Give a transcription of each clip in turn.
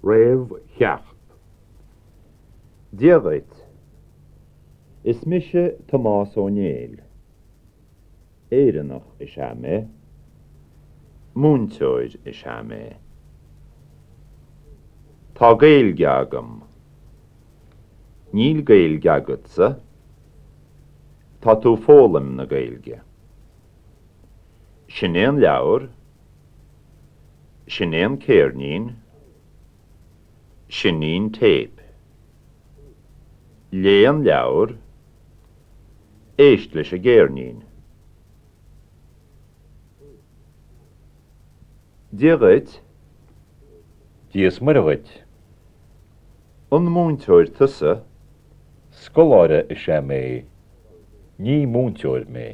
Réamhcheacht. Dia dhuit. Is mise Tomás Ó Néill. Éireannach is ea mé. Múinteoir is ea mé. Tá Gaeilge agam. Níl Gaeilge agatsa. Tá tú ag foghlaim na Gaeilge. Sin é an leabhar. Sin é an céirnín. Sin í an téip. Léigh an leabhar. Éist leis an gcéirnín. Dia dhuit. Dia is Muire dhuit. An múinteoir tusa? Scoláire is ea mé. Ní múinteoir mé.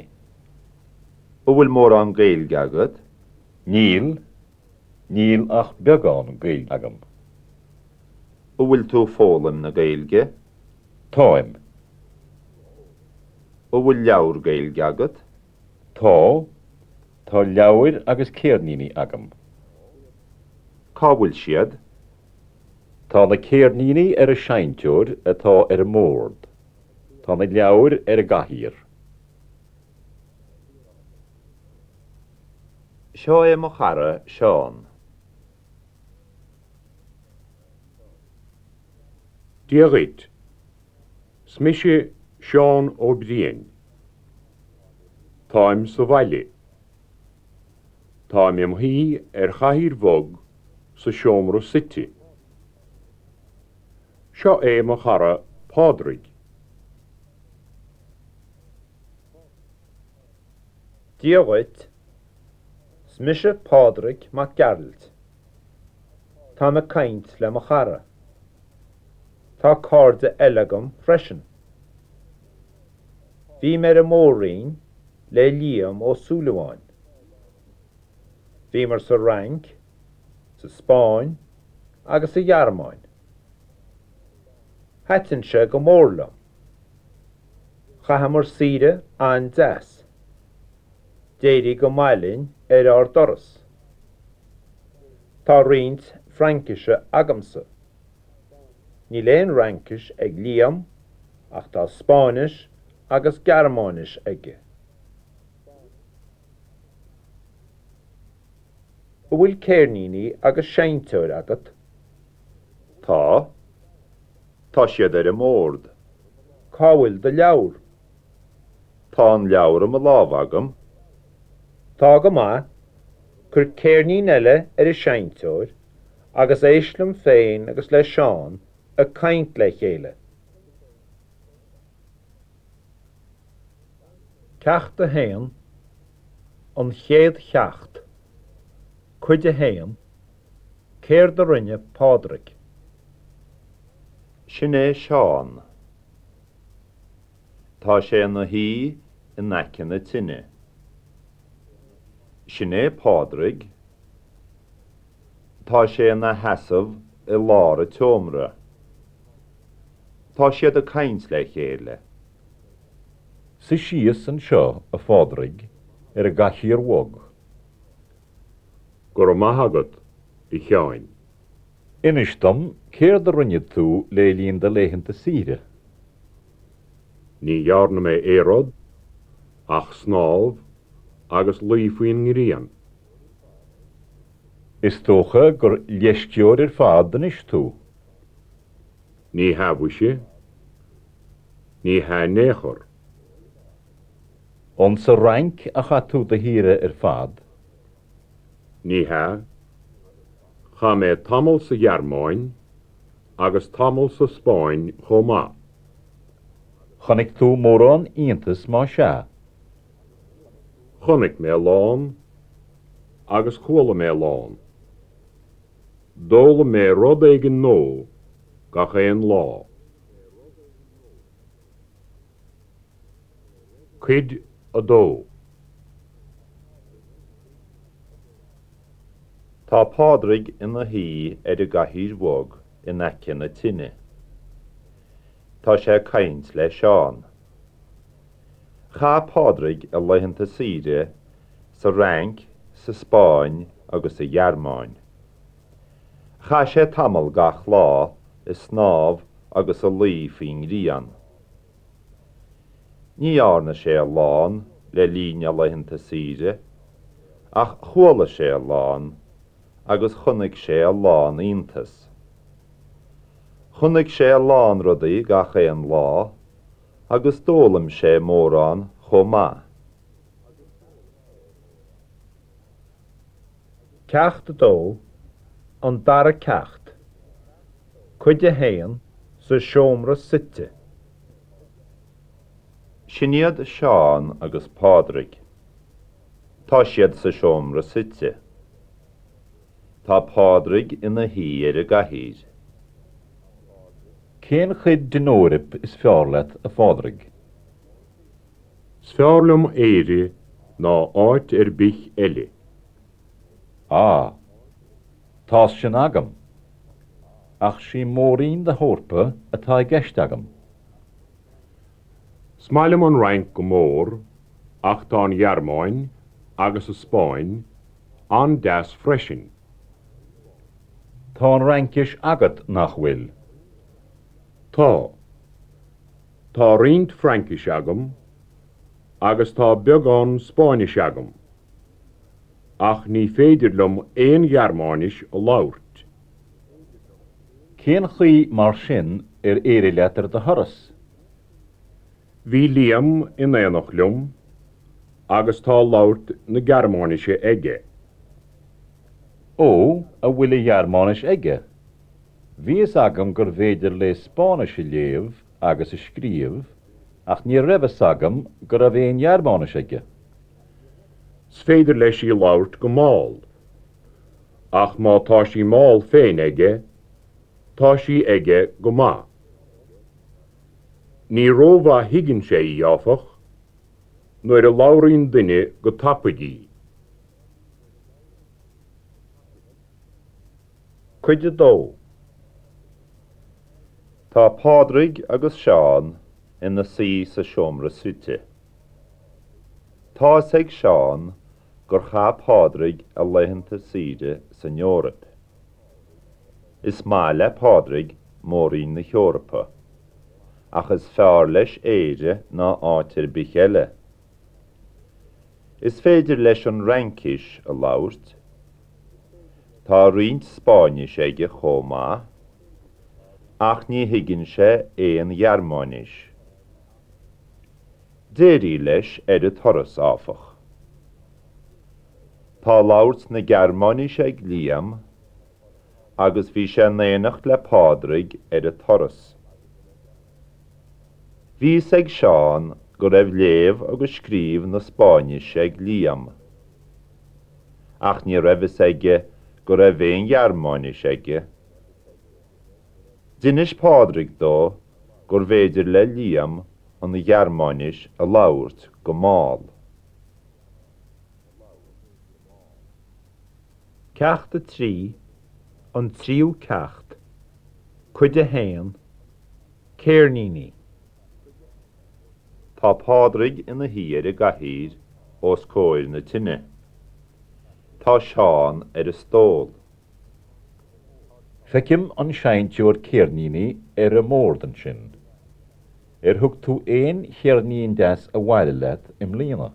An bhfuil mórán Gaeilge agat? Níl. Níl ach beagán Gaeilge agam. An bhfuil tú ag foghlaim na Gaeilge? Táim. An bhfuil leabhar Gaeilge agat? Tá. Tá leabhair agus céirníní agam. Cá bhfuil siad? Tá na céirníní ar an seinnteoir atá ar an mbord. Tá na leabhair ar an gcathaoir. Seo é mo chara, Seán. Dia dhuit. 'S mise Seán Ó Briain. Táim sa bhaile. Táim im shuí ar chathaoir bhog sa seomra suite. Seo é mo chara Pádraig. Dia dhuit. 'S mise Pádraig Mac Gearailt. Táim ag caint le mo chara. Tá cairde eile agam freisin. Bhí mé ar an Mór-Roinn le Liam Ó Súilleabháin. Bhíomar sa Fhrainc, sa Spáinn agus sa Ghearmáin. Thaitin sé go mór liom. Chaitheamar saoire an-deas. D'éirigh go maith linn ar ár dturas. Tá roinnt Fraincise agamsa. Níl aon Fhraincis ag Liam ach tá Spáinnis agus Gearmáinis aige. An bhfuil céirníní agus seinnteoir agat? Tá. Tá siad ar an mbord. Cá bhfuil do leabhar? Tá an leabhar i mo lámh agam. Tá go maith. Cuir céirnín eile ar an seinnteoir agus éist liom féin agus le Seán ag caint le chéile. Ceacht 1, An Chéad Cheacht, Cuid 1, Céard a rinne Pádraig? Sin é Seán. Tá sé ina shuí in aice na tine. Sin é Pádraig. Tá sé ina sheasamh i lár an tseomra. Tá siad ag caint le chéile. Suigh síos anseo, a Phádraig, ar an gcathaoir bhog. Go raibh maith agat, a Sheáin. Inis dom céard a rinne tú le linn do laethanta saoire. Ní dhearna mé aon rud ach snámh agus luí faoin ngrian. Is dócha gur leisceoir ar fad anois tú. Ní hea mhuise. Ní hea in aon chor. An sa Fhrainc a chaith tú do shaoire ar fad? Ní hea. Chaith mé tamall sa Ghearmáin agus tamall sa Spáinn chomh maith. Chonaic tú mórán iontas más ea? Chonaic mé a lán agus chuala mé a lán. D'fhoghlaim mé rud éigin nua gach aon lá. Cuid 2. Tá Pádraig ina shuí ar an gcathaoir bhog in aice na tine. Tá sé ag caint le Seán. Chaith Pádraig a laethanta saoire sa Fhrainc, sa Spáinn agus sa Ghearmáin. Chaith sé tamall gach lá ag snámh agus ag luí faoin ngrian. Ní dhearna sé a lán le linn a laethanta saoire, ach chuala sé a lán agus chonaic sé a lán iontas. Chonaic sé a lán rudaí gach aon lá agus d'fhoghlaim sé mórán chomh maith. Ceacht 2, An Dara Ceacht, Cuid 1, Sa Seomra Suite. Sin iad Seán agus Pádraig. Tá siad sa seomra suite. Tá Pádraig ina shuí ar an gcathaoir. Cén chuid den Eoraip is fearr leat, a Phádraig? 'S fearr liom Éire ná áit ar bith eile. Á, tá's sin agam. Ach sí mór-roinn na hEorpa atá i gceist agam. 'S maith liom an Fhrainc go mór ach tá an Ghearmáin agus an Spáinn an-deas freisin. Tá an Fhraincis agat, nach bhfuil? Tá. Tá roinnt Fraincise agam agus tá beagán Spáinnise agam, ach ní féidir liom aon Ghearmáinis a labhairt. Cén chaoi mar sin ar éirigh leat ar do thuras? Bhí Liam in éineacht liom agus tá labhairt na Gearmáinise aige. Ó, a bhfuil an Ghearmáinis aige? Bhí fhios agam gurbh fhéidir léi Spáinnis a léamh agus a scríobh ach ní raibh fhios agam go raibh aon Ghearmáinis aige. 'S féidir leis í labhairt go mall, ach má tá sí mall féin aige, tá sí aige go maith. Ní rómhaith thuigeann sé í, áfach, nuair a labhraíonn duine go tapaidh í. Cuid 2. Tá Pádraig agus Seán ina suí sa seomra suite. Tá fhios ag Seán gur chaith Pádraig a laethanta saoire san Eoraip. Is maith le Pádraig mór-roinn na hEorpa, ach is fearr leis Éire ná áit ar bith eile. Is féidir leis an Fhraincis a labhairt. Tá roinnt Spáinnis aige chomh maith, ach ní thuigeann sé aon Ghearmáinis. D'éirigh leis ar an turas, áfach. Tá labhairt na Gearmáinise ag Liam agus bhí sé in éineacht le Pádraig ar an turas. Bhí fhios ag Seán go raibh léamh agus scríobh na Spáinnise ag Liam. Ach ní raibh fhios aige go raibh aon Ghearmáinis aige. D'inis Pádraig dó gurbh fhéidir le Liam an Ghearmáinis a labhairt go mall. Ceacht 3, An Tríú Ceacht, Cuid 1, Ceirníní. Tá Pádraig ina shuí ar an gcathaoir os comhair na tine. Tá Seán ar an stól. Feicim an seinnteoir ceirníní ar an mbord ansin. Ar thug tú aon cheirnín deas abhaile leat i mbliana?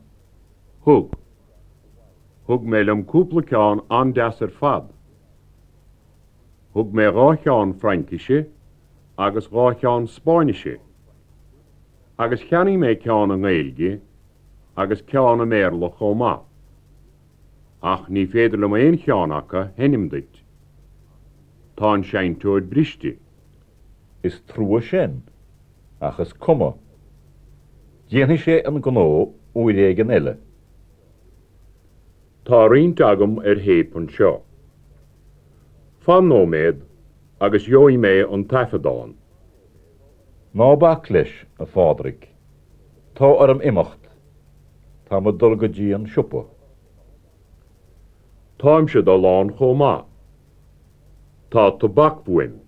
Thug. Thug mé liom cúpla ceann an-deas ar fad. Thug mé dhá cheann Fraincise agus dhá cheann Spáinnise. Agus cheannaigh mé ceann i nGaeilge agus ceann i mBéarla chomh maith. Ach ní féidir liom aon cheann acu a sheinm duit. Tá an seinnteoir briste. Is trua sin, ach is cuma. Déanfaidh sé an gnó uair éigin eile. Tá roinnt agam ar théip anseo. Fan nóiméad agus gheobhaidh mé an taifeadán. Ná bac leis, a Phádraig. Tá orm imeacht. Táim ag dul go dtí an siopa. Táimse ag dul ann chomh maith. Tá tobac uaim.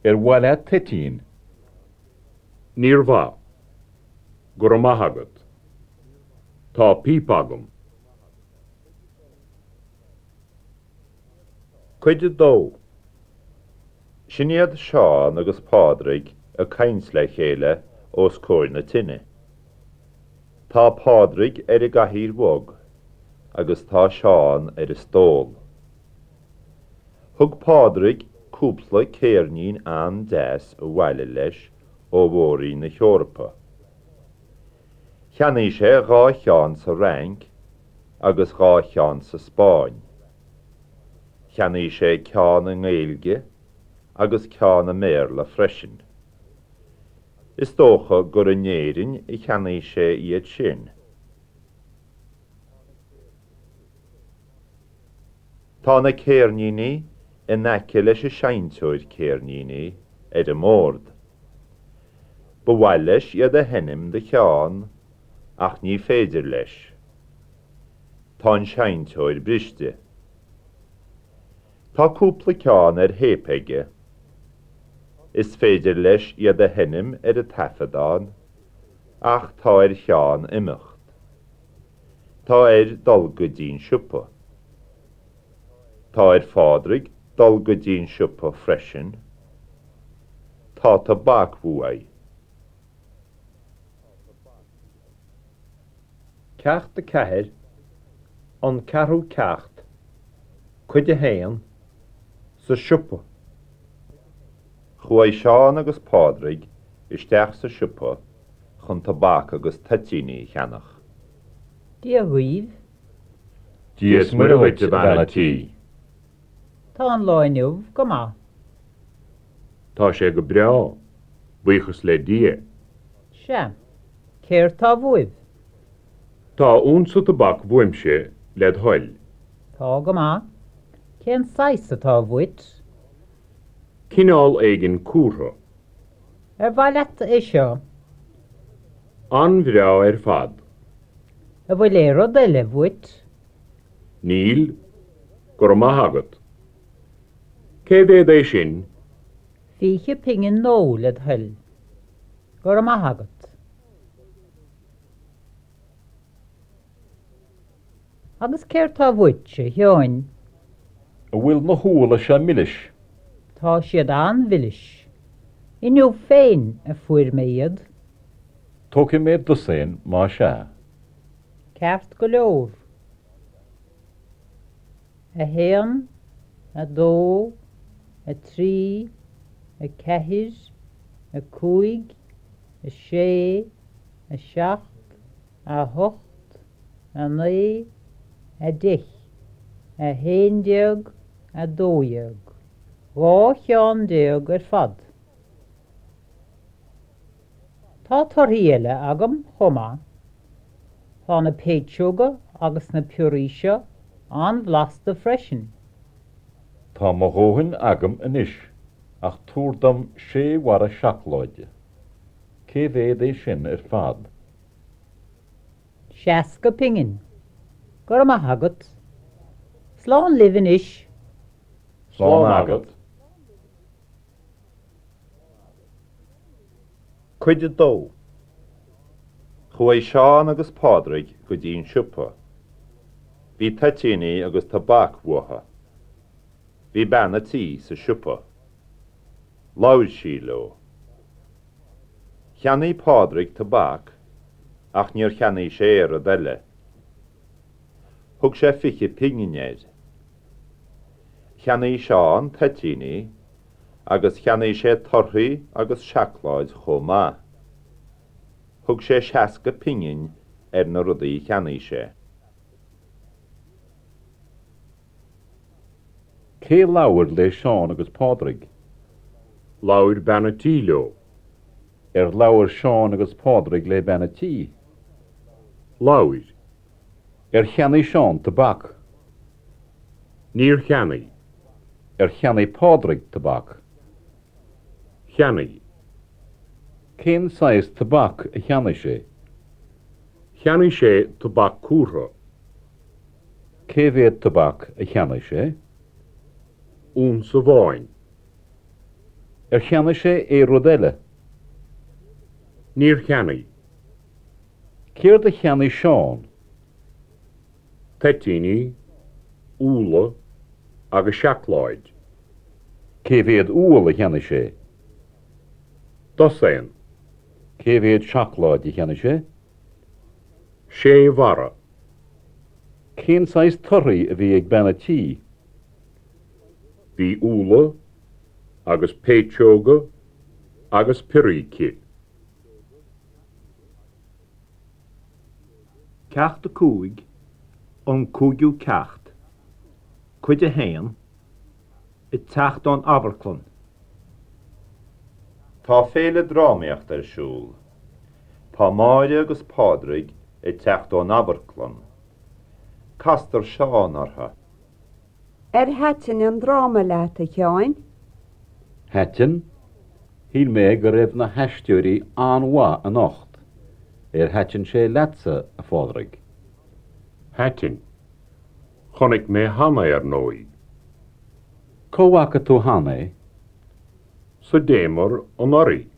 Ar mhaith leat toitín? Níor mhaith. Go raibh maith agat. Tá píopa agam. Cuid 2. Sin iad Seán agus Pádraig ag caint le chéile os comhair na tine. Tá Pádraig ar an gcathaoir bhog agus tá Seán ar an stól. Thug Pádraig cúpla céirnín an-deas abhaile leis ó Mhór-Roinn na hEorpa. Cheannaigh sé dhá cheann sa Fhrainc agus dhá cheann sa Spáinn. Cheannaigh sé ceann i nGaeilge agus ceann i mBéarla freisin. Is dócha gur in Éirinn a cheannaigh sé iad sin. Tá na céirníní in aice leis an seinnteoir céirníní ar an mbord. Ba mhaith leis iad a sheinm do Sheán ach ní féidir leis. Tá an seinnteoir briste. Tá cúpla ceann ar théip aige. Is féidir leis iad a sheinm ar an taifeadán ach tá ar Sheán imeacht. Tá air dul go dtí'n siopa. Tá ar Phádraig dul go dtí'n siopa freisin. Tá tobac uaidh. Ceacht 4, An Ceathrú Ceacht, Cuid 1, Sa Siopa. Chuaigh Seán agus Pádraig isteach sa siopa chun tobac agus toitíní a cheannach. Dia dhaoibh. Dia is Muire dhuit, a bhean a' tí. Tá an lá inniu go maith. Tá sé go breá, buíochas le Dia. Sea. Céard tá bhuaibh? Tá unsa tobac bhuaimse, led thoil. Tá go maith. Cén saghas atá bhuait? Cineál éigin cúrtha. Ar mhaith leat é seo? An-bhreá ar fad. An bhfuil aon rud eile bhuait? Níl, go raibh maith agat. Cé mhéad é sin? 20 pingin nó, led thoil. Go raibh maith agat. Agus céard tá bhuait, a Sheáin? An bhfuil na húlla seo milis? Tá siad an-mhilis. Inniu féin a fuair mé iad. Tógfaidh mé dosaen más ea. Ceart go leor. 1, 2, 3, 4, 5, 6, 7, 8, 9, 10, 11, 12. 12 cheann ar fad. Tá torthaí eile agam chomh maith. Tá na péitseoga agus na piorraí seo an-bhlasta freisin. Tá mo dhóthain agam anois ach tabhair dom sé bharra seacláide. Cé mhéad é sin ar fad? 60 pingin. Go raibh maith agat. Slán libh anois. Slán agat. Cuid 2. Chuaigh Seán agus Pádraig go dtí an siopa. Bhí toitíní agus tobac uathu. Bhí bean a' tí sa siopa. Labhair sí leo. Cheannaigh Pádraig tobac ach níor cheannaigh sé aon rud eile. Thug sé 20 pingin air. Cheannaigh Seán toitíní agus cheannaigh sé torthaí agus seacláid chomh maith. Thug sé 60 pingin ar na rudaí a cheannaigh sé. Cé labhair le Seán agus Pádraig? Labhair bean a' tí leo. Ar labhair Seán agus Pádraig le bean a' tí? Labhair. Ar cheannaigh Seán tobac? Níor cheannaigh. Ar cheannaigh Pádraig tobac? Cheannaigh. Cén saghas tobac a cheannaigh sé? Cheannaigh sé tobac cúrtha. Cé mhéad tobac a cheannaigh sé? Unsa amháin. Ar cheannaigh sé aon rud eile? Níor cheannaigh. Céard a cheannaigh Seán? Toitíní, úlla, agus seacláid. Cé mhéad úll a cheannaigh sé? Dosaen. Cé mhéad seacláid a cheannaigh sé? Sé bharra. Cén saghas torthaí a bhí ag bean a' tí? Bhí úlla agus péitseoga agus piorraí aici. Ceacht 5, An Cúigiú Ceacht, Cuid 1, Ag teacht ón amharclann. Tá féile drámaíochta ar siúl. Tá Máire agus Pádraig ag teacht ón amharclann. Castar Seán orthu. Ar thaitin an dráma leat, a Sheáin? Thaitin. Shíl mé go raibh na haisteoirí an-mhaith anocht. Ar thaitin sé leatsa, a Phádraig? Thaitin. Chonaic mé cheana é, ar ndóigh. Cá bhfaca tú cheana é? Sa Damer anuraidh.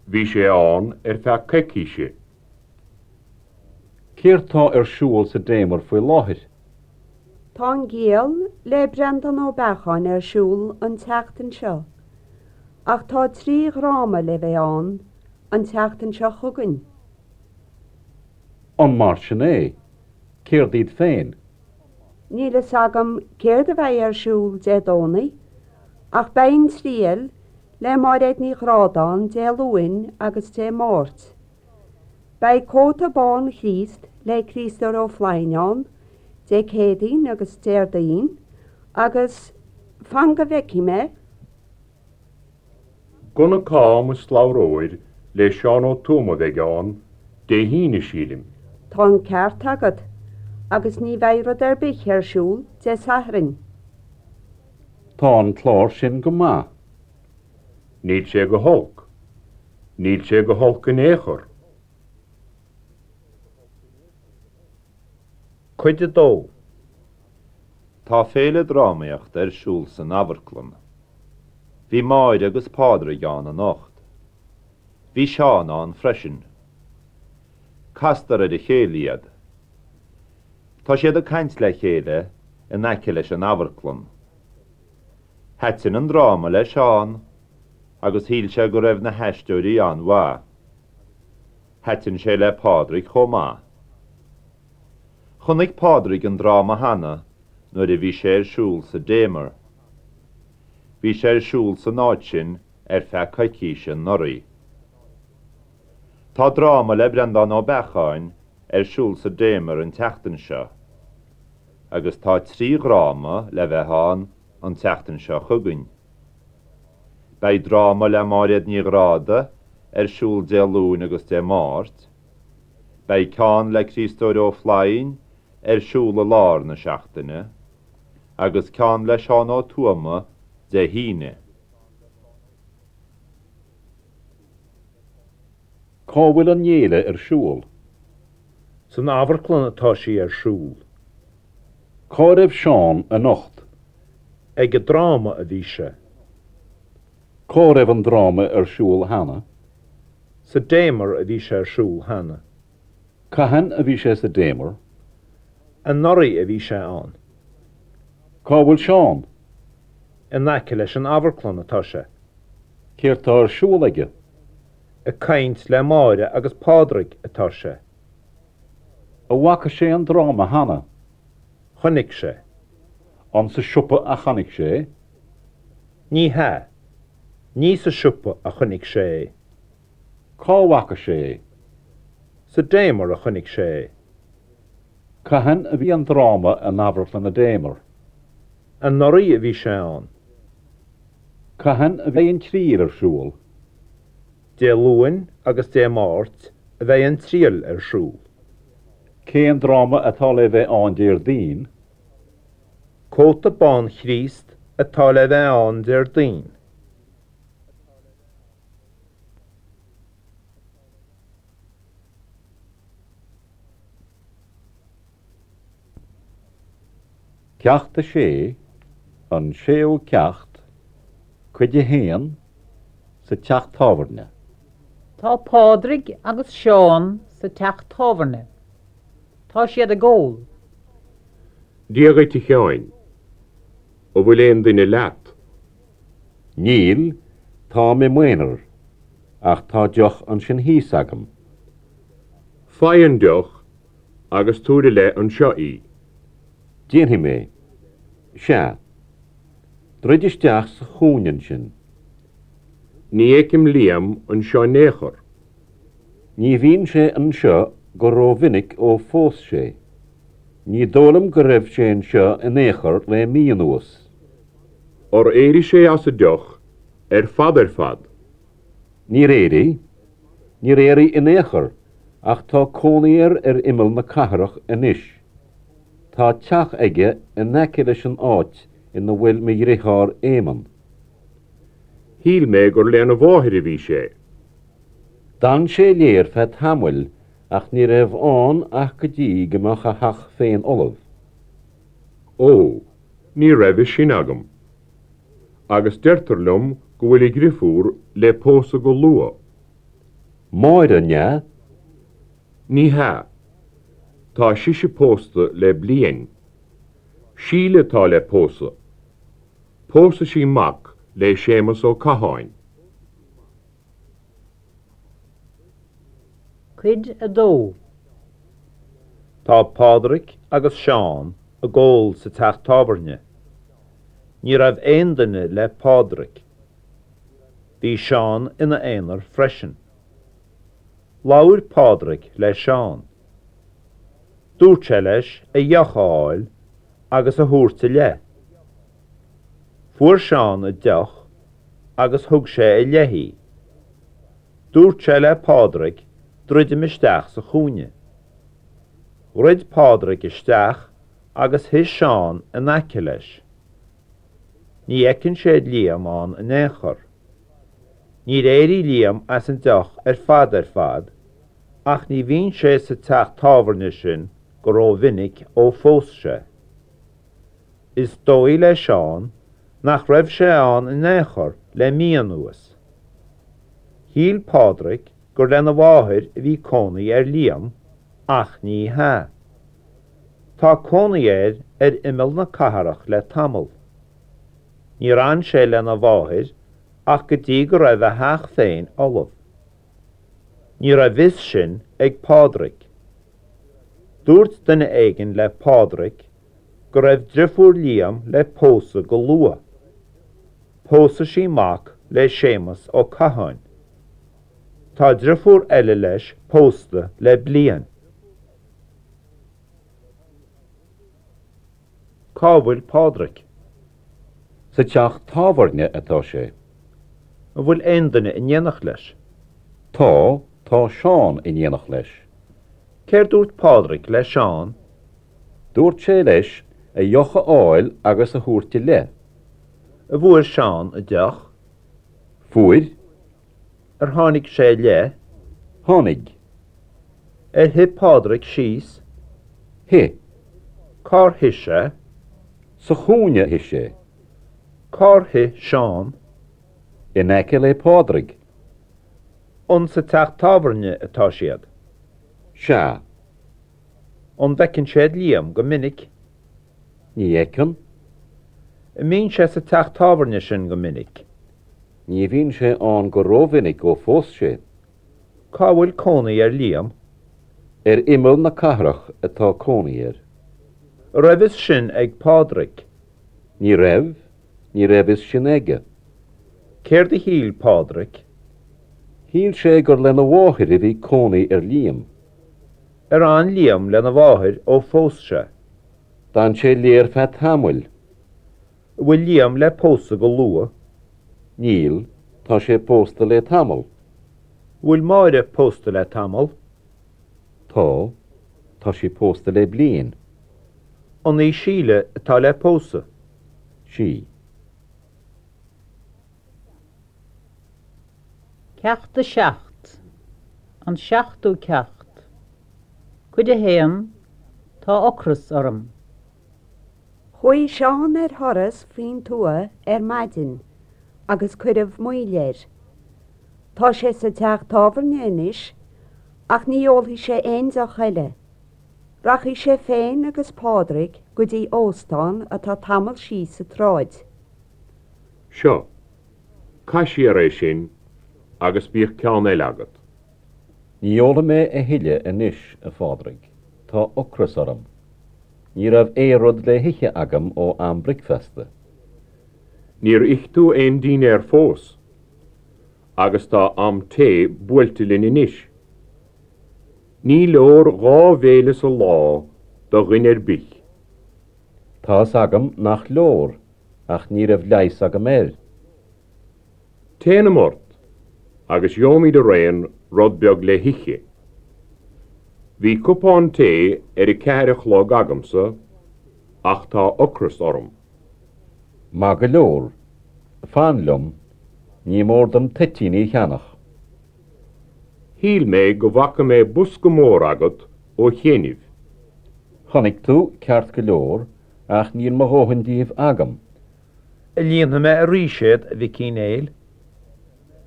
Bhí sé ann ar feadh coicíse. Céard tá ar siúl sa Damer faoi láthair? Tá An Giall le Breandán Ó Beacháin ar siúl an tseachtain seo, ach tá 3 dhráma le bheith ann an tseachtain seo chugainn. An mar sin é? Céard iad féin? Níl fhios agam céard a bheidh ar siúl Dé Domhnaigh, ach beidh An Triail le Máiréad Ní Ghráda ann Dé Luain agus Dé Máirt. Beidh Cóta Bán Chríost le Críostóir Ó Floinn ann Dé Céadaoin agus Déardaoin agus, fan go bhfeicfidh mé, Gunna Cam is Slabhra Óir le Seán Ó Tuama a bheidh ann Dé hAoine, sílim. Tá an ceart agat, agus ní bheidh rud ar bith ar siúl Dé Sathairn. Tá an clár sin go maith. Níl sé go holc. Níl sé go holc in aon chor. Cuid 2. Tá féile drámaíochta ar siúl san amharclann. Bhí Máire agus Pádraig ann anocht. Bhí Seán ann freisin. Castar ar a chéile iad. Tá siad ag caint le chéile in aice leis an amharclann. Thaitin an dráma le Seán agus shíl sé go raibh na haisteoirí an-mhaith. Thaitin sé le Pádraig chomh maith. Chonaic Pádraig an dráma cheana nuair a bhí sé ar siúl sa Damer. Bhí sé ar siúl san áit sin ar feadh coicíse anuraidh. Tá dráma le Breandán Ó Beacháin ar siúl sa Damer an tseachtain seo agus tá 3 dhráma le bheith ann an tseachtain seo chugainn. Beidh dráma le Máiréad Ní Ghráda ar siúl Dé Luain agus Dé Máirt. Beidh ceann le Críostóir Ó Floinn ar siúl i lár na seachtaine agus ceann le Seán Ó Tuama Dé hAoine. Cá bhfuil an fhéile ar siúl? San amharclann atá sí ar siúl. Cá raibh Seán anocht? Ag an dráma a bhí sé. Cá raibh an dráma ar siúl cheana? Sa Damer a bhí sé ar siúl cheana. Cathain a bhí sé sa Damer? Anuraidh a bhí sé ann. Cá bhfuil Seán? In aice leis an amharclann atá sé. Céard tá ar siúl aige? Ag caint le Máire agus Pádraig atá sé. An bhfaca sé an dráma cheana? Chonaic sé. An sa siopa a chonaic sé é? Ní hea. Ní sa siopa a chonaic sé é. Cá bhfaca sé é? Sa Damer a chonaic sé é. Cathain a bhí an dráma in Amharclann an Damer? Anuraidh a bhí sé ann. Cathain a bheidh an triail ar siúl? Dé Luain agus Dé Máirt a bheidh an triail ar siúl. Cén dráma atá le bheith ann Déardaoin? Cóta Bán Chríost atá le bheith ann Déardaoin. Ceacht 6, An Séú Ceacht, Cuid 1, Sa Teach Tábhairne. Tá Pádraig agus Seán sa teach tábhairne. Tá siad ag ól. Dia dhuit a Sheáin. An bhfuil aon duine leat? Níl, táim i m'aonar. Ach tá deoch ansin thíos agam. Faigh an deoch agus tabhair i leith anseo í. Déanfaidh mé. Sea. Druid isteach sa chúinne ansin. Ní fheicim Liam anseo in aon chor. Ní bhíonn sé anseo go rómhinic ó phós sé. Ní dóigh liom go raibh sé anseo in aon chor le mí anuas. Ar éirigh sé as an deoch ar fad ar fad? Níor éirigh. Níor éirigh in aon chor, ach tá cónaí air ar imeall na cathrach anois. Tá teach aige in aice leis an áit ina bhfuil mo dhriotháir Éamonn. Shíl mé gur lena mháthair a bhí sé. D'fhan sé léi ar feadh tamaill ach ní raibh ann ach go dtí go mbeadh a theach féin ullamh. Ó, ní raibh fhios sin agam. Agus deirtear liom go bhfuil a dhriofúr le pósadh go luath. Máire, an ea? Ní hea. Tá sise pósta le bliain. Síle atá le pósadh. Pósfaidh sí mac le Séamus Ó Catháin. Cuid 2. Tá Pádraic agus Seán ag ól sa teach tábhairne. Ní raibh aon duine le Pádraic. Bhí Seán ina aonar freisin. Labhair Pádraic le Seán. Dúirt sé leis a dheoch a fháil agus a thabhairt i leith. Fuair Seán a deoch agus thug sé i leith í. Dúirt sé le Pádraig druidim isteach sa chúinne. Dhruid Pádraig isteach agus shuigh Seán in aice leis. Ní fheiceann siad Liam ann in aon chor. Níor éirigh Liam as an deoch ar fad ar fad ach ní bhíonn sé sa teach tábhairne sin go rómhinic ó phós sé. Is dóigh le Seán nach raibh sé ann in aon chor le mí anuas. Shíl Pádraig gur lena mháthair a bhí cónaí ar Liam ach ní hea. Tá cónaí air ar imeall na cathrach le tamall. Níor fhan sé lena mháthair ach go dtí go raibh a theach féin ullamh. Ní raibh fhios sin ag Pádraig. Dúirt duine éigin le Pádraig go raibh driofúr Liam le pósadh go luath. Pósfaidh sí mac le Séamus Ó Catháin. Tá driofúr eile leis pósta le bliain. Cá bhfuil Pádraig? Sa teach tábhairne atá sé. An bhfuil aon duine in éineacht leis? Tá, tá Seán in éineacht leis. Céard dúirt Pádraig le Seán? Dúirt sé leis a dheoch a fháil agus a thabhairt i leith. An bhfuair Seán a deoch? Fuair. Ar tháinig sé i leith? Tháinig. Ar shuigh Pádraig síos? Shuigh. Cár shuigh sé? Sa chúinne a shuigh sé. Cár shuigh Seán? In aice le Pádraig. An sa teach tábhairne atá siad? Sea. An bhfeiceann siad Liam go minic? Ní fheiceann. An mbíonn sé sa teach tábhairne sin go minic? Ní bhíonn sé ann go rómhinic ó phós sé. Cá bhfuil cónaí ar Liam? Ar imeall na cathrach atá cónaí air. An raibh fhios sin ag Pádraig? Ní raibh, ní raibh fhios sin aige. Céard a shíl Pádraig? Shíl sé gur lena mháthair a bhí cónaí ar Liam. Ar fhan Liam lena mháthair ó phós sé? D'fhan sé léi ar feadh tamaill. An bhfuil Liam le pósadh go luath? Níl, tá sé pósta le tamall. An bhfuil Máire pósta le tamall? Tá, tá sí pósta le bliain. An í Síle atá le pósadh? Sí. Ceacht 7, An seachtú ceacht, Cuid 1, Tá ocras orm. Chuaigh Seán ar thuras faoin tuath ar maidin agus cuireadh moill air. Tá sé sa teach tábhairne anois ach ní ólfaidh sé aon deoch eile. Rachaidh sé féin agus Pádraig go dtí óstán atá tamall síos an tsráid. Seo, caith siar é sin agus bíodh ceann eile agat. Ní ólfaidh mé a thuilleadh anois, a Phádraig. Tá ocras orm. Ní raibh aon rud le hithe agam ó am bricfeasta. Níor ith tú aon dinnéar fós, agus tá am tae buailte linn anois. Ní leor dhá bhéile sa lá do dhuine ar bith. Tá's agam nach leor, ach ní raibh leigheas agam air. Téanam ort agus gheobhaimid araon rud beag le hithe. Bhí cupán tae ar a ceathair a chlog agamsa ach tá ocras orm. Maith go leor. Fan liom. Ní mór dom toitíní a cheannach. Shíl mé go bhfaca mé bosca mór agat ó chianaibh. Chonaic tú, ceart go leor, ach níl mo dhóthain díobh agam. An líonfaidh mé arís iad, a Mhic Uí Néill?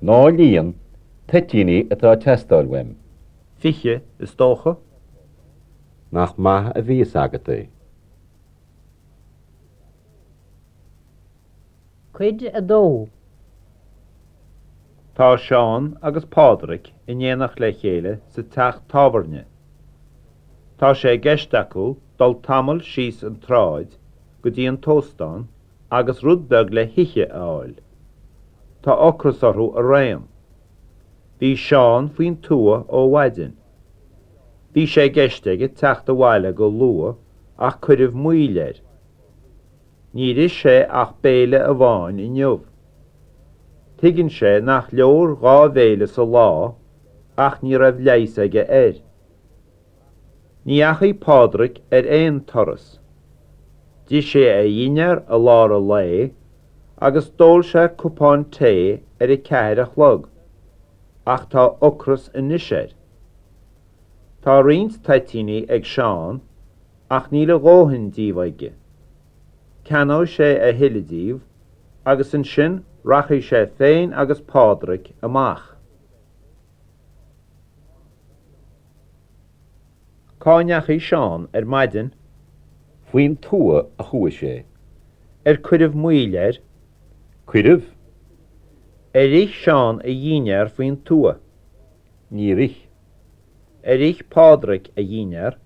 Ná líon, toitíní atá ag teastáil uaim. 20, is dócha. Nach maith a bhí fhios agat é. Cuid 2. Tá Seán agus Pádraig in éineacht le chéile sa teach tábhairne. Tá sé i gceist acu dul tamall síos an tsráid go dtí an t-óstán agus rud beag le hithe a fháil. Tá ocras orthu araon. Bhí Seán faoin tuath ó mhaidin. Bhí sé i gceist aige teacht abhaile go luath ach cuireadh moill air. Níor ith sé ach béile amháin inniu. Tuigeann sé nach leor dhá bhéile sa lá ach ní raibh leigheas aige air. Ní dheachaigh Pádraig ar aon turas. D'ith sé a dhinnéar i lár an lae agus d'ól sé cupán tae ar a ceathair a chlog ach tá ocras anois air. Tá roinnt toitíní ag Seán ach níl a dhóthain díobh aige. Ceannóidh sé a thuilleadh díobh agus ansin rachaidh sé féin agus Pádraig amach. Cá ndeachaigh Seán ar maidin? Faoin tuath a chuaigh sé. Ar cuireadh moill air? Cuireadh. Ar ith Seán a dhinnéar faoin tuath? Níor ith. Ar ith Pádraig a dhinnéar?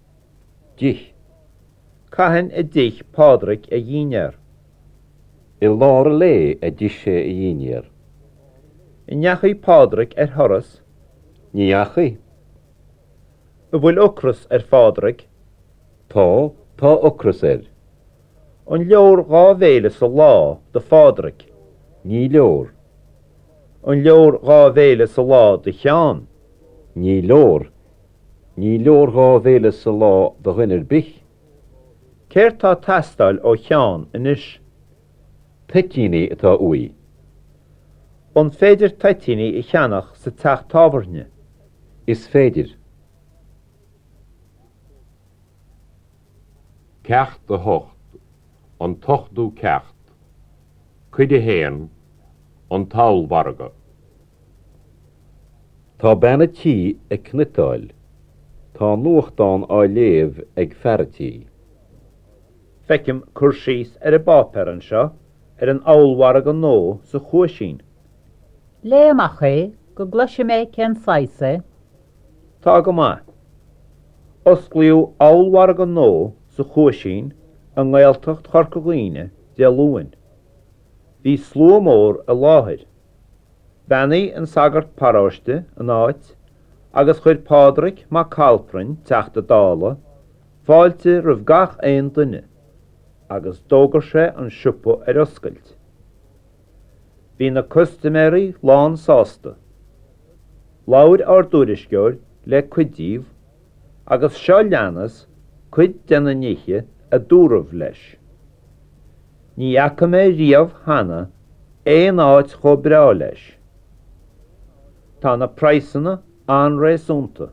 D'ith. Cathain a d'ith Pádraig a dhinnéar? I lár an lae a d'ith sé a dhinnéar. An ndeachaigh Pádraig ar thuras? Ní dheachaigh. An bhfuil ocras ar Phádraig? Tá, tá ocras air. An leor dhá bhéile sa lá do Phádraig? Ní leor. An leor dhá bhéile sa lá do Sheán? Ní leor. Ní leor dhá bhéile sa lá do dhuine ar bith. Céard tá ag teastáil ó Sheán anois? Toitíní atá uaidh. An féidir toitíní a cheannach sa teach tábhairne? Is féidir. Ceacht 8, An tOchtú Ceacht, Cuid 1, An tOllmhargadh. Tá bean a' tí ag cniotáil. Tá nuachtán á léamh ag fear a' tí. Feicim cur síos ar an bpáipéar anseo ar an ollmhargadh nua sa Chuaisín. Léigh amach é go gcloise mé cén saghas é. Tá go maith. Osclaíodh ollmhargadh nua sa Chuaisín i nGaeltacht Chorca Dhuibhne Dé Luain. Bhí slua mór i láthair. Bheannaigh an sagart paróiste an áit agus chuir Pádraig Mac Calprainn, Teachta Dála, fáilte roimh gach aon duine agus d'fhógair sé an siopa ar oscailt. Bhí na custaiméirí lán sásta. Labhair ár dtuairisceoir le cuid díobh agus seo leanas cuid de na nithe a dúradh leis. Ní fhaca mé riamh cheana aon áit chomh breá leis. Tá na praghsanna an-réasúnta.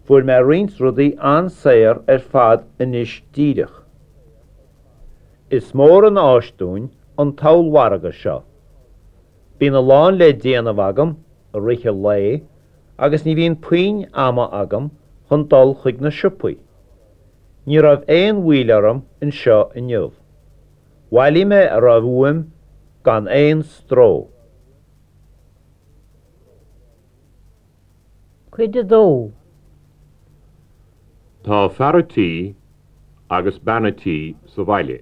Fuair mé roinnt rudaí an-saor ar fad anois díreach. Is mór an áis dúinn an t-ollmhargadh seo. Bíonn a lán le déanamh agam i rith an lae agus ní bhíonn puinn ama agam chun dul chuig na siopaí. Ní raibh aon mhoill orm anseo inniu. Bhailigh mé a raibh uaim gan aon stró. Cuid 2. Tá fear a' tí agus bean a' tí sa bhaile.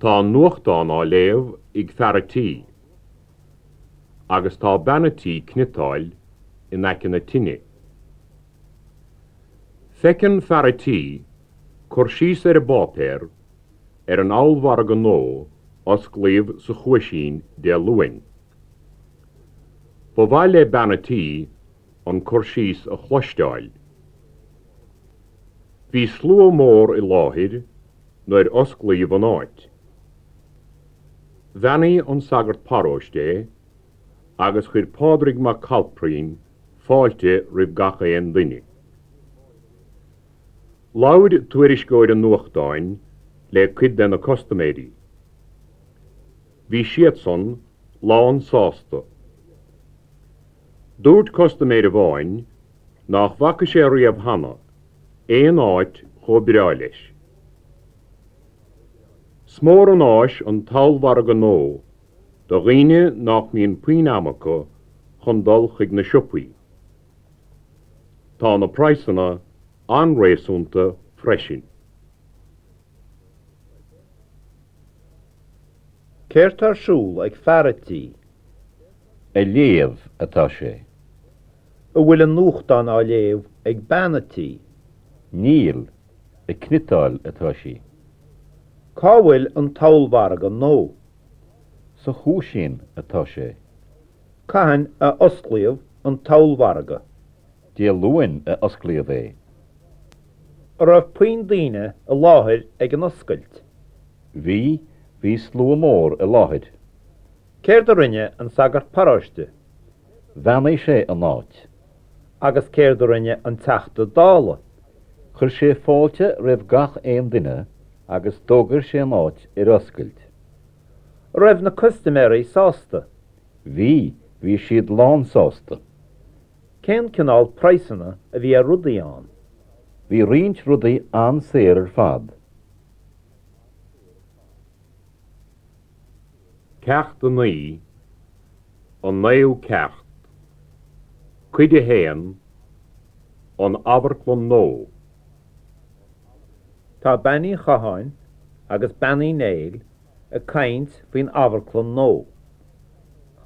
Tá an nuachtán á léamh ag fear a' tí agus tá bean a' tí cniotáil in aice na tine. Feiceann fear a' tí cur síos ar an bpáipéar ar an ollmhargadh nua osclaíodh sa Chuaisín Dé Luain. Ba mhaith le bean a' tí an cur síos a chloisteáil. Bhí slua mór i láthair nuair osclaíodh an áit. Bheannaigh an sagart paróiste é agus chuir Pádraig Mac Cailprín fáilte roimh gach aon duine. Labhair tuairisceoir an nuachtáin le cuid de na custaiméirí. Bhí siadsan lán sásta. Dúirt custaiméir amháin nach bhfaca sé riamh cheana aon áit chomh breá leis. 'S mór an áis an t-ollmhargadh nua do dhaoine nach mbíonn puinn ama acu chun dul chuig na siopaí. Tá na praghsanna an-réasúnta freisin. Céard tá ar siúl ag fear a' tí? Ag léamh atá sé. An bhfuil an nuachtán á léamh ag bean a' tí? Níl, ag cniotáil atá sí. Cá bhfuil an t-ollmhargadh nua? Sa Chuaisín atá sé. Cathain a osclaíodh an t-ollmhargadh? Dé Luain a osclaíodh é. An raibh puinn daoine i láthair ag an oscailt? Bhí, bhí slua mór i láthair. Céard a rinne an sagart paróiste? Bheannaigh sé an áit. Agus céard a rinne an Teachta Dála? Chuir sé fáilte roimh gach aon duine agus d'fhógair sé an áit ar oscailt. An raibh na custaiméirí sásta? Bhí, bhí siad lán sásta. Cén cineál praghsanna a bhí ar rudaí ann? Bhí roinnt rudaí an-saor ar fad. Ceacht 9, An Naoú Ceacht, Cuid 1, An Amharclann Nua. Tá Bean Uí Chatháin agus Bean Uí Néill ag caint faoin amharclann nua.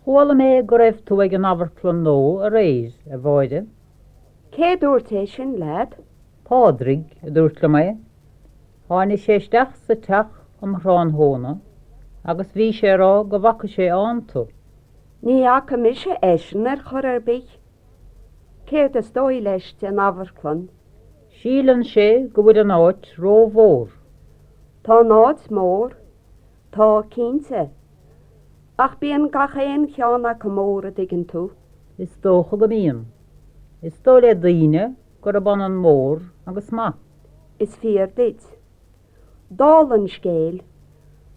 Chuala mé go raibh tú ag an amharclann nua aréir, a Mháire. Cé dúirt é sin leat? Pádraig a dúirt liom é. Tháinig sé isteach sa teach um thráthnóna agus bhí sé ag rá go bhfaca sé ann tú. Ní fhaca mise eisean ar chor ar bith. Céard is dóigh leis den amharclann? Síleann sé go bhfuil an áit rómhór. Tá an áit mór. Tá, cinnte. Ach bíonn gach aon cheann acu mór, a dtuigeann tú. Is dócha go mbíonn. Is dóigh le daoine gurb ionann mór agus maith. Is fíor duit. Dála an scéil,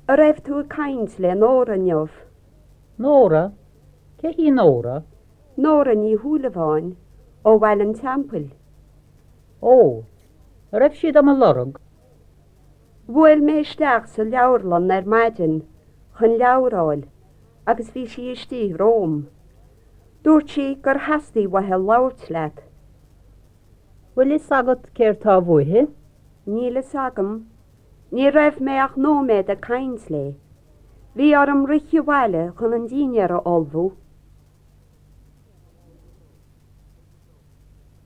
a' raibh tú ag caint le Nóra inniu? Nóra? Cé hí Nóra? Nóra Ní Shúilleabháin, ó Bhaile an Teampaill. Ó, a' raibh sí do mo lorg? Bhuail mé isteach sa leabharlann ar maidin chun leabhar a fháil agus bhí sí istigh romham. Dúirt sí gur theastaigh uaithi labhairt leat. Bhfuil fhios agat céard tá uaithi? Níl fhios agam. Ní raibh mé ach nóiméad ag caint léi. Bhí orm rith abhaile chun an dinnéar a ullmhú.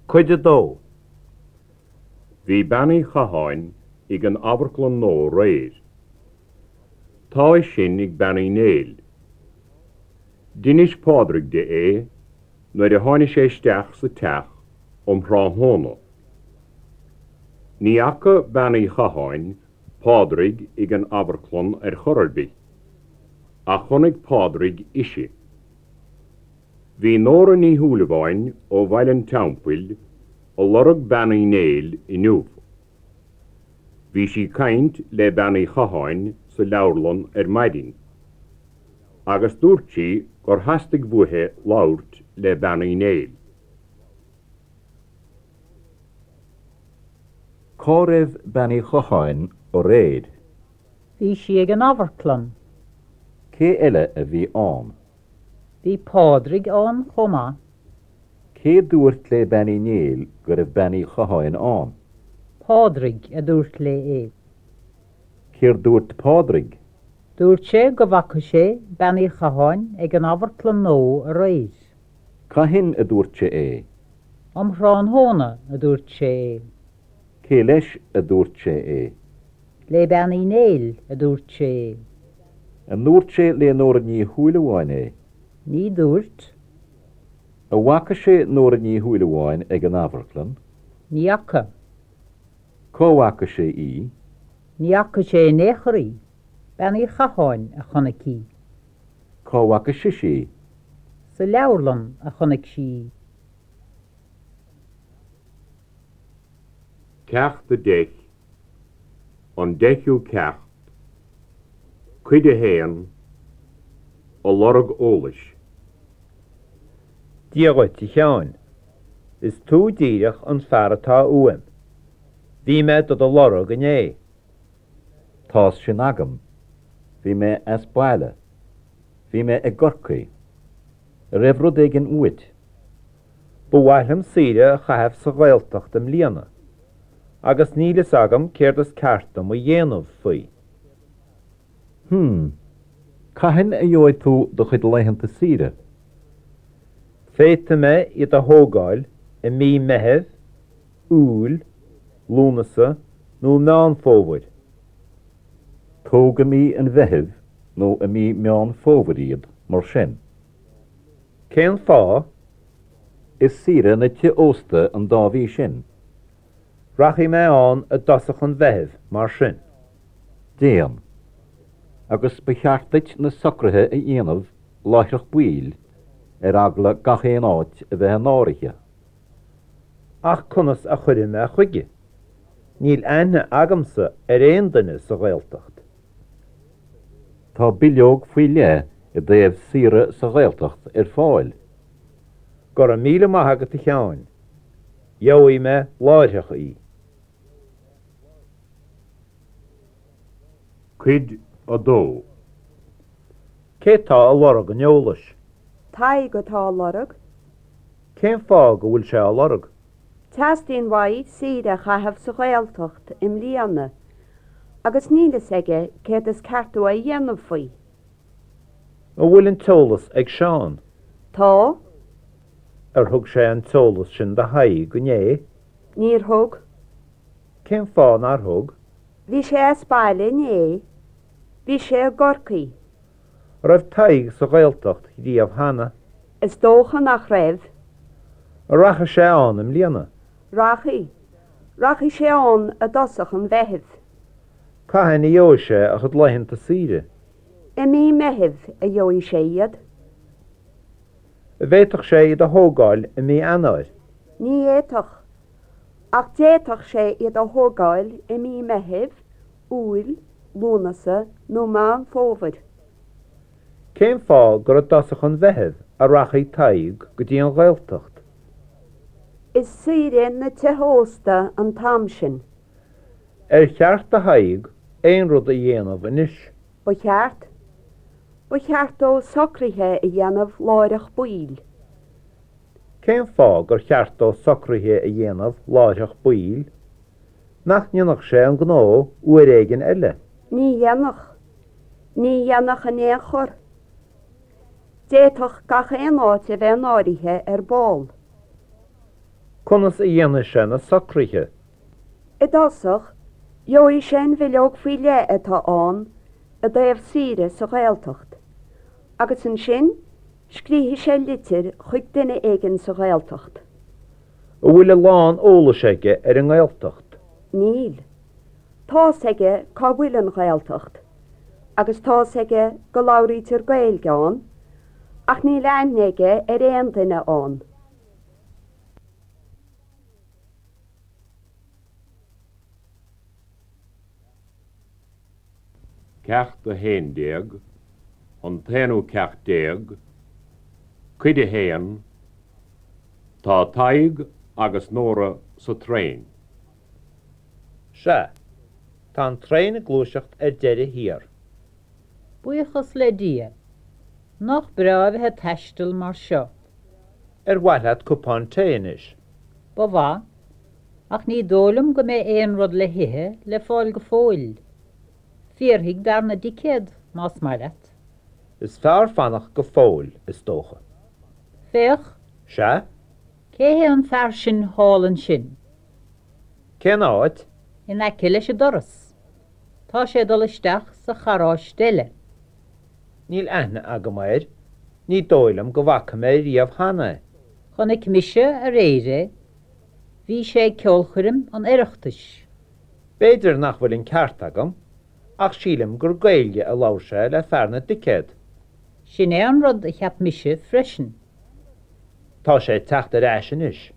Cuid 2. Bhí Bean Uí Chatháin ag an amharclann nua aréir. Tá a fhios sin ag Bean Uí Néill. D'inis Pádraig di é nuair a tháinig sé isteach sa teach um thráthnóna. Ní fhaca Bean Uí Chatháin Pádraig ag an amharclann ar chor ar bith, ach chonaic Pádraig ise. Bhí Nóra Ní Shúilleabháin ó Bhaile an Teampaill a lorg Bean Uí Néill inniu. Bhí sí caint le Bean Uí Chatháin sa leabharlann ar maidin agus dúirt sí gur theastaigh uaithi labhairt le Bean Uí Néill. Cá raibh Bean Uí Chatháin aréir? Bhí sí ag an amharclann. Cé eile a bhí ann? Bhí Pádraig ann chomh maith. Cé dúirt le Bean Uí Néill go raibh Bean Uí Chatháin ann? Pádraig a dúirt léi é. Céard dúirt Pádraig? Dúirt sé go bhfaca sé Bean Uí Chatháin ag an amharclann nó aréir. Cathain a dúirt sé é? Um thráthnóna a dúirt sé é. Cé leis a dúirt sé é? Le Bean Uí Néill a dúirt sé é. An ndúirt sé le Nóra Ní Shúilleabháin é? Ní dúirt. An bhfaca sé Nóra Ní Shúilleabháin ag an amharclann? Ní fhaca. Cá bhfaca sé í? Ní fhaca sé in aon chor í. Bean Uí Chatháin a chonaic í. Cá bhfaca sise í? Sa leabharlann a chonaic sí í. Ceacht 10, An Deichiú Ceacht, Cuid 1, A lorg eolais. Dia dhuit, a Sheáin. Is tú díreach an fear atá uaim. Bhí mé do do lorg inné. Tá's sin agam. Bhí mé as baile. Bhí mé i gCorcaigh. An raibh rud éigin uait? Ba mhaith liom saoire a chaitheamh sa Ghaeltacht i mbliana, agus níl fhios agam céard is ceart dom a dhéanamh faoi. Hmm. Cathain a gheobhaidh tú do chuid laethanta saoire? Féadfaidh mé iad a thógáil i mí Meithimh, Iúil, Lúnasa nó Meán Fómhair. Tóg i mí an Mheithimh nó i mí Meán Fómhair iad, mar sin. Cén fáth? Is saoire na tithe ósta an dá mhí sin. Rachaidh mé ann i dtosach an Mheithimh, mar sin. Déan. Agus ba cheart duit na socruithe a dhéanamh láithreach baill, ar eagla gach aon áit a bheith in áirithe. Ach conas a chuirfidh mé chuige? Níl aithne agamsa ar aon duine sa Ghaeltacht. Tá bileog faoi leith i dtaobh saoire sa Ghaeltacht ar fáil. Go raibh míle maith agat a Sheáin. Gheobhaidh mé láithreach í. Cuid 2. Cé tá a lorg an eolais? Tadhg atá á lorg. Cén fáth go bhfuil sé á lorg? Teastaíonn uaidh saoire a chaitheamh sa Ghaeltacht i mbliana agus níl fhios aige céard is ceart dó a dhéanamh faoi. An bhfuil an t-eolas ag Seán? Tá. Ar thug sé an t-eolas sin do Thadhg inné? Níor thug. Cén fáth nár thug? Bhí sé as baile inné. Bhí sé i gCorcaigh. An raibh Tadhg sa Ghaeltacht riamh cheana? Is dócha nach raibh. An rachaidh sé ann i mbliana? Rachaidh. Rachaidh sé ann i dtosach an Mheithimh. Cathain a gheobhaidh sé a chuid laethanta saoire? I mí Meithimh a gheobhaidh sé iad. An bhféadfadh sé iad a thógáil i mí Eanáir? Ní fhéadfadh. Ach d'fhéadfadh sé iad a thógáil i mí Meithimh, Iúil, Lúnasa nó Meán Fómhair. Cén fáth gur i dtosach an Mheithimh a rachaidh Tadhg go dtí an Ghaeltacht? Is saoire na tithe ósta an t-am sin. Ar cheart do Thadhg aon rud a dhéanamh anois? Ba cheart. Ba cheart dó socruithe a dhéanamh láithreach baill. Cén fáth gur cheart dó socruithe a dhéanamh láithreach baill? Nach ndéanfadh sé an gnó uair éigin eile? Ní dhéanfadh. Ní dhéanfadh in aon chor. D'fhéadfadh gach aon áit a bheith in áirithe ar ball. Conas a dhéanfaidh sé na socruithe? I dtosach, gheobhaidh sé an bhileog faoi leith atá ann i dtaobh saoire sa Ghaeltacht, agus ansin scríobfaidh sé litir chuig duine éigin sa Ghaeltacht. An bhfuil a lán eolais aige ar an nGaeltacht? Níl. Tá's aige cá bhfuil an Ghaeltacht, agus tá's aige go labhraítear Gaeilge ann, ach níl aithne aige ar aon duine ann. Ceacht 11, An t-aonú ceacht déag, Cuid 1, Tá Tadhg agus Nóra sa traein. Sea. Tá an traein ag gluaiseacht ar deireadh thiar. Buíochas le Dia. Nach breá a bheith ag taisteal mar seo. Ar mhaith leat cupán tae anois? Ba mhaith. Ach ní dóigh liom go mbeidh aon rud le hithe le fáil go fóill. Fiafraigh d'fhear na dticéad, más maith leat. Is fearr fanacht go fóill, is dócha. Féach! Sea? Cé hé an fear sin thall ansin? Cén áit? In aice leis an doras. Tá sé ag dul isteach sa charráiste eile. Níl aithne agam air. Ní dóigh liom go bhfaca mé riamh cheana é. Chonaic mise aréir é. Bhí sé ag ceolchoirm an Oireachtais. B'fhéidir nach bhfuil an ceart agam, ach sílim gur Gaeilge a labhair sé le fear na dticéad. Sin é an rud a cheap mise freisin. Tá sé ag teacht ar ais anois.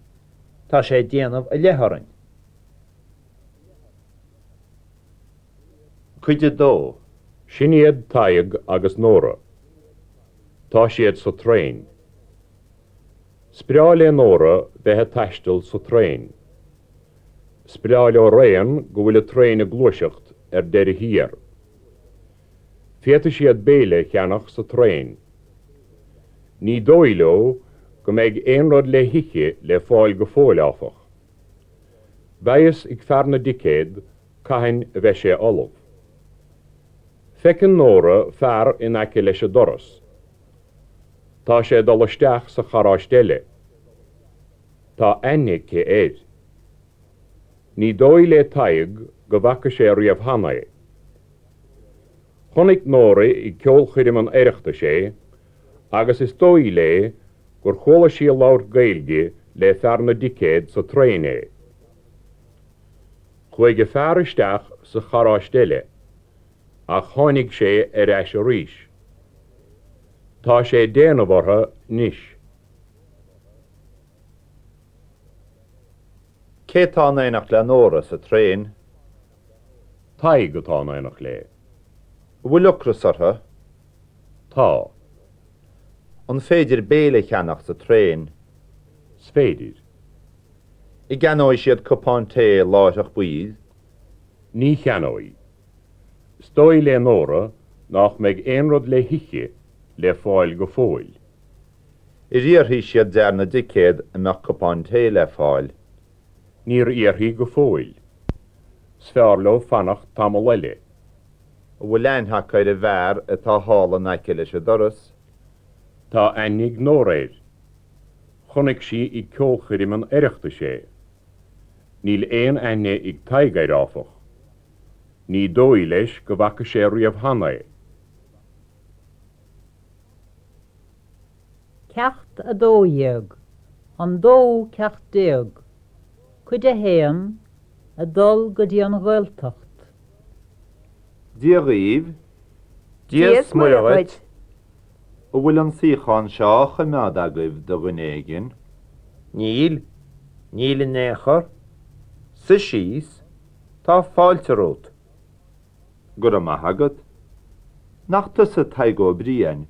Tá sé ag déanamh i leith orainn. Cuid 2. Sin iad Tadhg agus Nóra. Tá siad sa traein. 'S breá le Nóra bheith ag taisteal sa traein. 'S breá leo araon go bhfuil an traein ag gluaiseacht ar deireadh thiar. Féadfaidh siad béile a cheannach sa traein. Ní dóigh leo go mbeidh aon rud le hithe le fáil go fóill, áfach. Beidh fhios ag fear na dticéad cathain a bheidh sé ullamh. Feiceann Nóra fear in aice leis an doras. Tá sé ag dul isteach sa charráiste eile. Tá aithne aici air. Ní dóigh le Tadhg go bhfaca sé riamh cheana é. Chonaic Nóra ag ceolchoirm an Oireachtais é agus is dóigh léi gur chuala sí ag labhairt Gaeilge le fear na dticéad sa traein é. Chuaigh an fear isteach sa charráiste eile ach tháinig sé ar ais arís. Tá sé ag déanamh orthu anois. Cé tá in éineacht le Nóra sa traein? Tadhg atá in éineacht léi. An bhfuil ocras orthu? Tá. An féidir béile a cheannach sa traein? 'S féidir. An gceannóidh siad cupán tae láithreach baill? Ní cheannóidh. 'S dóigh le Nóra nách mbeidh aon rud le hithe le fáil go fóill. Ar fhiafraigh siad d'fhear na dticéad an mbeadh cupán tae le fáil? Níor fhiafraigh go fóill. 'S fearr leo fanacht tamall eile. An bhfuil aithne acu ar an bhfear atá thall in aice leis an doras? Tá aithne ag Nóra air. Chonaic sí ag ceolchoirm an Oireachtais é. Níl aon aithne ag Tadhg air, áfach. Ní dóigh leis go bhfaca sé riamh cheana é. Ceacht 12, An Dóú Ceacht Déag, Cuid 1, Ag dul go dtí an Ghaeltacht. Dia dhaoibh. Dia 's Muire dhuit. An bhfuil an suíochán seo á choimeád agaibh do dhuine éigin? Níl. Níl in aon chor. Suigh síos. Tá fáilte romhat. Go raibh maith agat. Nach tusa Tadhg Ó Briain?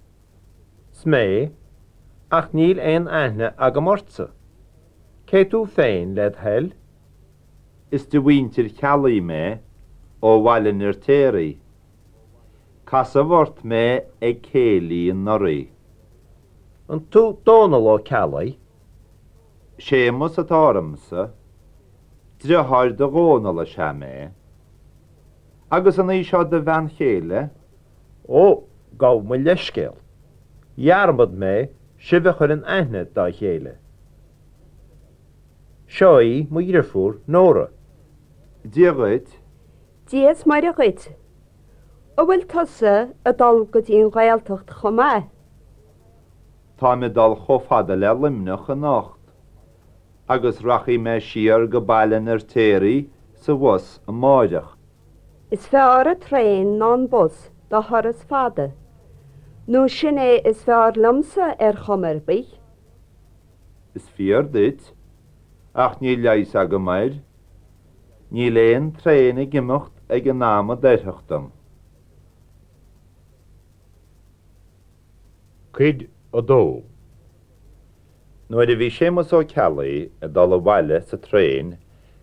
'S mé, ach níl aon aithne agam ortsa. Cé tú féin, led thoil? Is de mhuintir Cheallaigh mé, ó Bhaile an Fheirtéaraigh. Casadh ort mé ag céilí anuraidh. An tú Dónall Ó Ceallaigh? Séamus atá ormsa. Driotháir do Dhónall is ea mé. Agus an í seo do bhean chéile? Ó, gabh mo leithscéal. Dhearmad mé sibh a chur in aithne dá chéile. Seo í mo dhriofúr, Nóra. Dia dhuit. Dia is Muire dhuit. An bhfuil tusa ag dul go dtí an Ghaeltacht chomh maith? Táim ag dul chomh fada le Luimneach anocht agus rachaidh mé siar go Baile an Fheirtéaraigh sa bhus amáireach. Is fearr an traein ná an bus do thuras fada, nó sin é is fearr liomsa ar chuma ar bith. Is fíor duit, ach níl leigheas agam air. Níl aon traein ag imeacht ag an am a d'oirfeadh dom. Cuid 2. Nuair a bhí Séamus Ó Ceallaigh ag dul abhaile sa traein,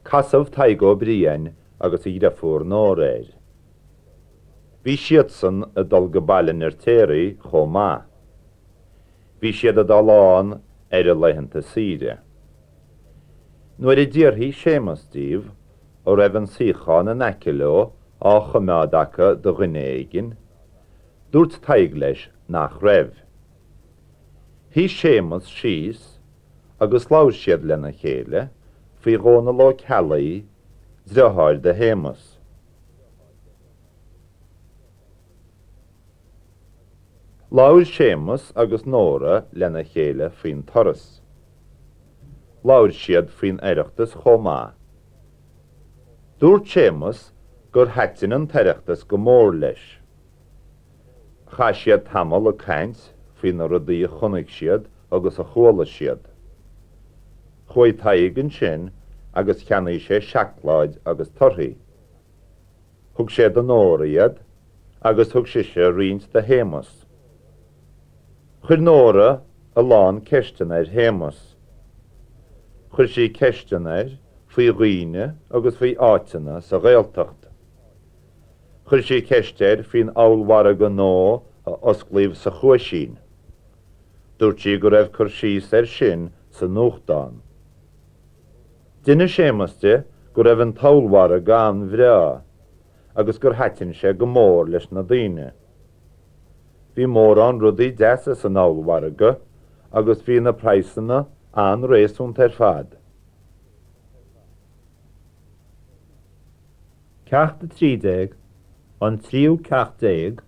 casadh Tadhg Ó Briain agus a dhriofúr Nóra air. Bhí siadsan ag dul go Baile an Fheirtéaraigh chomh maith. Bhí siad ag dul ann ar a laethanta saoire. Nuair a d'fhiafraigh Séamus díobh an raibh an suíochán in aice leo á choimeád acu do dhuine éigin, dúirt Tadhg leis nach raibh. Shuigh Séamus síos agus labhair siad lena chéile faoi Dhónall Ó Ceallaigh, driotháir do Shéamus. Labhair Séamus agus Nóra lena chéile faoin turas. Labhair siad faoin Oireachtas chomh maith. Dúirt Séamus gur thaitin an tOireachtas go mór leis. Chaith siad tamall ag caint faoi na rudaí a chonaic siad agus a chuala siad. Chuaigh Tadhg ansin agus cheannaigh sé seacláid agus torthaí. Thug sé do Nóra iad agus thug sise roinnt do Shéamus. Chuir Nóra a lán ceisteanna ar Shéamus. Chuir sí ceisteanna air faoi dhaoine agus faoi áiteanna sa Ghaeltacht. Chuir sí ceist air faoin ollmhargadh nua a osclaíodh sa Chuaisín. Dúirt sí go raibh cur síos air sin sa nuachtán. D'inis Séamus di go raibh an t-ollmhargadh an-bhreá agus gur thaitin sé go mór leis na daoine. Bhí mórán rudaí deasa san ollmhargadh agus bhí na praghsanna an-réasúnta ar fad. Ceacht 13, An Tríú Ceacht Déag,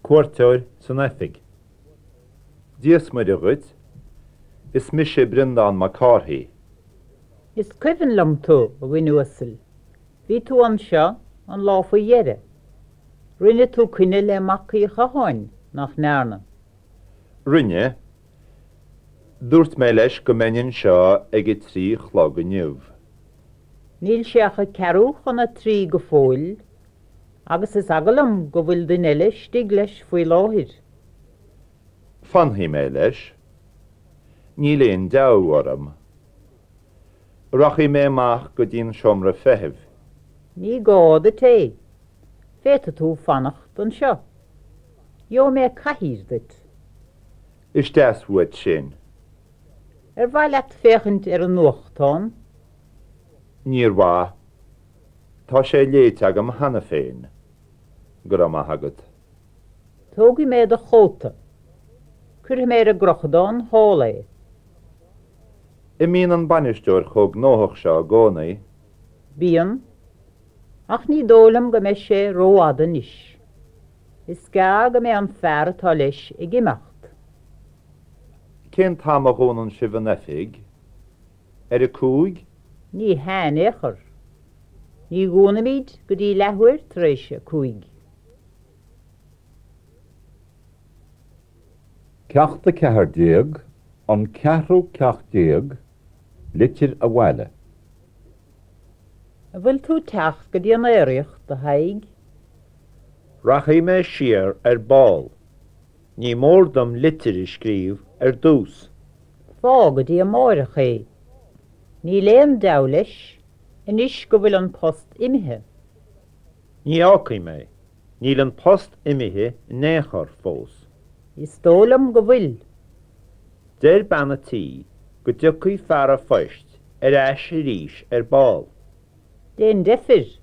Cuairteoir san Oifig. Dia 's Muire dhuit, is mise Breandán Mac Cárthaigh. Is cuimhin liom tú, a dhuine uasail. Bhí tú anseo an lá faoi dheireadh. Rinne tú coinne le Mac Uí Chatháin, nach ndearna? Rinne. Dúirt mé leis go mbeinn anseo ag a trí a chlog inniu. Níl sé ach a ceathrú chun a trí go fóill agus is eagal liom go bhfuil duine eile istigh leis faoi láthair. Fanfaidh mé leis. Níl aon deabhadh orm. Rachaidh mé amach go dtí an seomra feithimh. Ní gá duit é. Féadfaidh tú fanacht anseo. Gheobhaidh mé cathaoir duit. Is deas uait sin. Ar mhaith leat féachaint ar an nuachtán? Níor mhaith. Tá sé léite agam cheana féin. Go raibh maith agat. Tógfaidh mé do chóta. Cuirfidh mé ar an gcrochadán thall é. An mbíonn an bainisteoir chomh gnóthach seo i gcónaí? Bíonn. Ach ní dóigh liom go mbeidh sé rófhada anois. Is gearr go mbeidh an fear atá leis ag imeacht. Cén t-am a dhúnann sibh an oifig? Ar a cúig? Ní hea in aon chor. Ní dhúnaimid go dtí leathuair tar éis a cúig. Ceacht 14, An Ceathrú Ceacht Déag, Litir Abhaile. An bhfuil tú ag teacht go dtí an aeraíocht, a Thaidhg? Rachaidh mé siar ar ball. Ní mór dom litir a scríobh ar dtús. Fág go dtí amáireach é. Níl aon deabhadh leis, anois go bhfuil an post imithe. Ní fhágfaidh mé. Níl an post imithe in aon chor fós. Is dóigh liom go bhfuil. Deir bean a' tí go dtiocfaidh fear a' phoist ar ais arís ar ball. Déan deifir,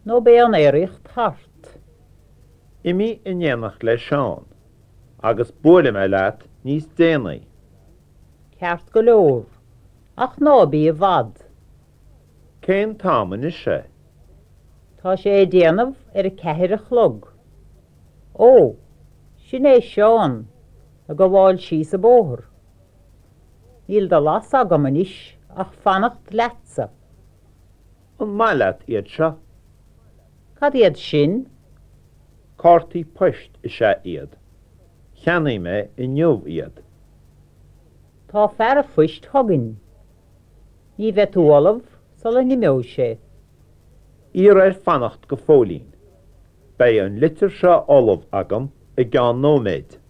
nó beidh an aeraíocht thart. Imigh in éineacht le Seán, agus buailfidh mé leat níos déanaí. Ceart go leor, ach ná bí i bhfad. Cén t-am anois é? Tá sé ag déanamh ar a ceathair a chlog. Ó, sin é Seán ag gabháil síos an bóthar. Níl de leas agam anois ach fanacht leatsa. An maith leat iad seo? Cad iad sin? Cártaí poist is ea iad. Cheannaigh mé inniu iad. Tá fear an phoist chugainn. Ní bheidh tú ullamh sula n-imeoidh sé. Iarr air fanacht go fóillín. Beidh an litir seo ullamh agam i gceann nóiméid.